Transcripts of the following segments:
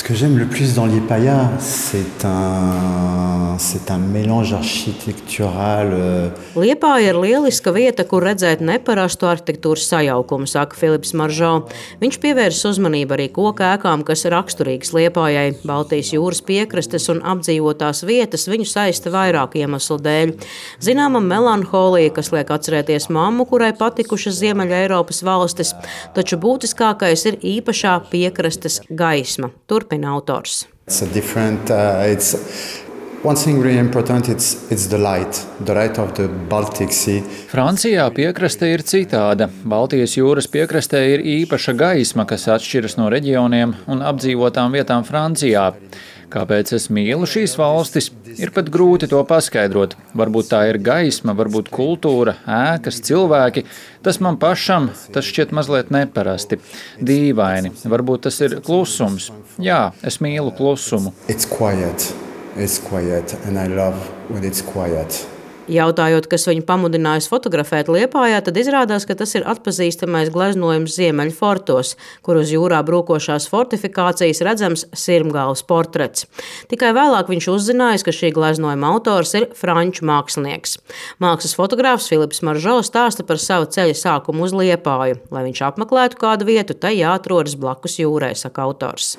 que j'aime le plus dans Liepāja, c'est un mélange architectural. Liepāja ir lieliska vieta, kur redzēt neparastu arhitektūras sajaukumu, saka Filips Maržo. Viņš pievērsis uzmanību arī koku ēkām, kas raksturīgas Liepājai. Baltijas jūras piekrastes un apdzīvotās vietas viņu saista vairāku iemeslu dēļ. Zināma melanholija, kas liek atcerēties mammu, kurai patikušas Ziemeļa Eiropas valstis, taču būtiskākais ir īpašā piekrastes gaisma. Turpina autors. One thing really important, it's the light of the Baltic Sea. Francijā piekraste ir citāda. Baltijas jūras piekrastē ir īpaša gaisma, kas atšķiras no reģioniem un apdzīvotām vietām Francijā. Kāpēc es mīlu šīs valstis, ir pat grūti to paskaidrot. Varbūt tā ir gaisma, varbūt kultūra, ēkas, cilvēki. Tas man pašam, tas šķiet mazliet neparasti, dīvaini. Varbūt tas ir klusums. Jā, es mīlu klusumu. It's quiet and I love when it's quiet. Jautājot, kas viņu pamudinājis fotografēt Liepājā, tad izrādās, ka tas ir atpazīstamais gleznojums Ziemeļu fortos, kur uz jūrā brūkošās fortifikācijas redzams sirmgalvas portrets. Tikai vēlāk viņš uzzinājis, ka šī gleznojuma autors ir franču mākslinieks. Mākslas fotogrāfs Filips Maržo stāsta par savu ceļa sākumu uz Liepāju. Lai viņš apmeklētu kādu vietu, tai jāatrodas blakus jūrai, saka autors.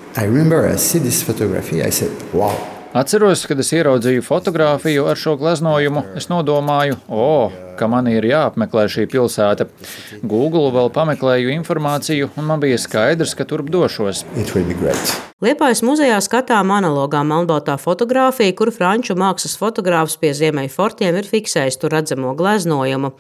Atceros, kad es ieraudzīju fotogrāfiju ar šo gleznojumu, es nodomāju, ka man ir jāapmeklē šī pilsēta. Google vēl pameklēju informāciju, un man bija skaidrs, ka turp došos. Liepājas muzejā skatām analogā melnbaltā fotogrāfija, kur franču mākslas fotogrāfs pie Ziemeļu fortiem ir fiksējis tur redzamo gleznojumu.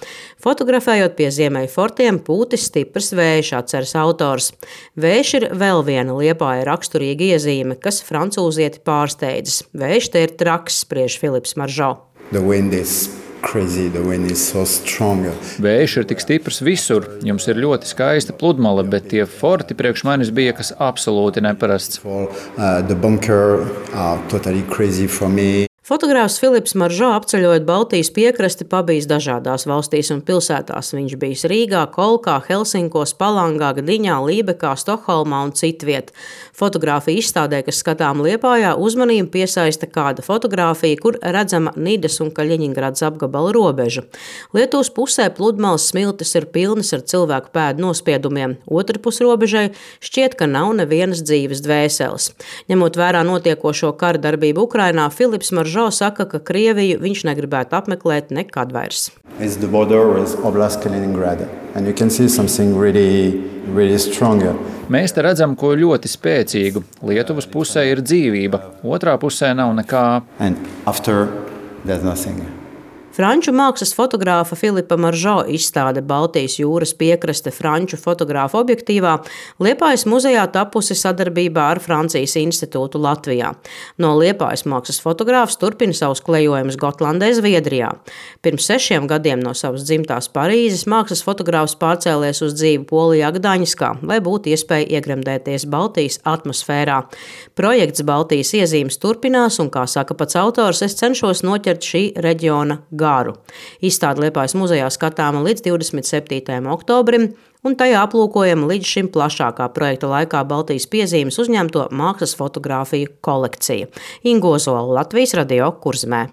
Fotografējot pie Ziemeļu fortiem, pūtis stiprs vējš, atceras autors. Vējš ir vēl viena Liepāja raksturīga iezīme, kas francūzieti pārsteidzas. Vējš te ir traks, spriež Filips Maržo. The wind is so strong. Vējš ir tik stiprs visur. Jums ir ļoti skaista pludmale, bet tie forti priekš manis bija kas absolūti neparasts. The bunker are totally crazy for me. Fotogrāfs Filips Maržo apceļojot Baltijas piekrasti pabijis dažādās valstīs un pilsētās. Viņš bijis Rīgā, Kolkā, Helsinkos, Palangā, Gdiņā, Lībekā, Stokholmā un citviet. Fotogrāfija izstādē, kas skatām Liepājā, uzmanību piesaista kāda fotogrāfija, kur redzama Nidas un Kaļiņingradas apgabala robeža. Lietuvas pusē pludmales smiltis ir pilnas ar cilvēku pēdu nospiedumiem. Otrpus robežai šķiet, ka nav nevienas dzīves dvēseles. Ņemot vērā notiekošo kara darbību Ukrainā, Filips Maržo saka, ka Krieviju viņš negribētu apmeklēt nekad vairs. It's the border with Oblast Kaliningrad, and you can see something really strong. Mēs te redzam ko ļoti spēcīgu. Lietuvas pusē ir dzīvība, otrā pusē nav nekā. And after, there's nothing. Franču mākslas fotogrāfa Filipa Maržo izstāde Baltijas jūras piekraste franču fotogrāfa objektīvā Liepājas muzejā tapusi sadarbībā ar Francijas institūtu Latvijā. No Liepājas mākslas fotogrāfs turpina savus klejojumus Gotlandē, Zviedrijā. Pirms 6 gadiem no savas dzimtās Parīzes mākslas fotogrāfs pārcēlies uz dzīvi Polijā, Gdaņskā, lai būtu iespēja iegremdēties Baltijas atmosfērā. Projekts Baltijas iezīmes turpinās, un, kā saka pats autors, es cenšos noķert šī reģiona garu. Izstāde Liepājas muzejā skatāma līdz 27. oktobrim, un tajā aplūkojama līdz šim plašākā projekta laikā Baltijas piezīmes uzņemto mākslas fotogrāfiju kolekcija. Inga Ozola, Latvijas Radio, Kurzemē.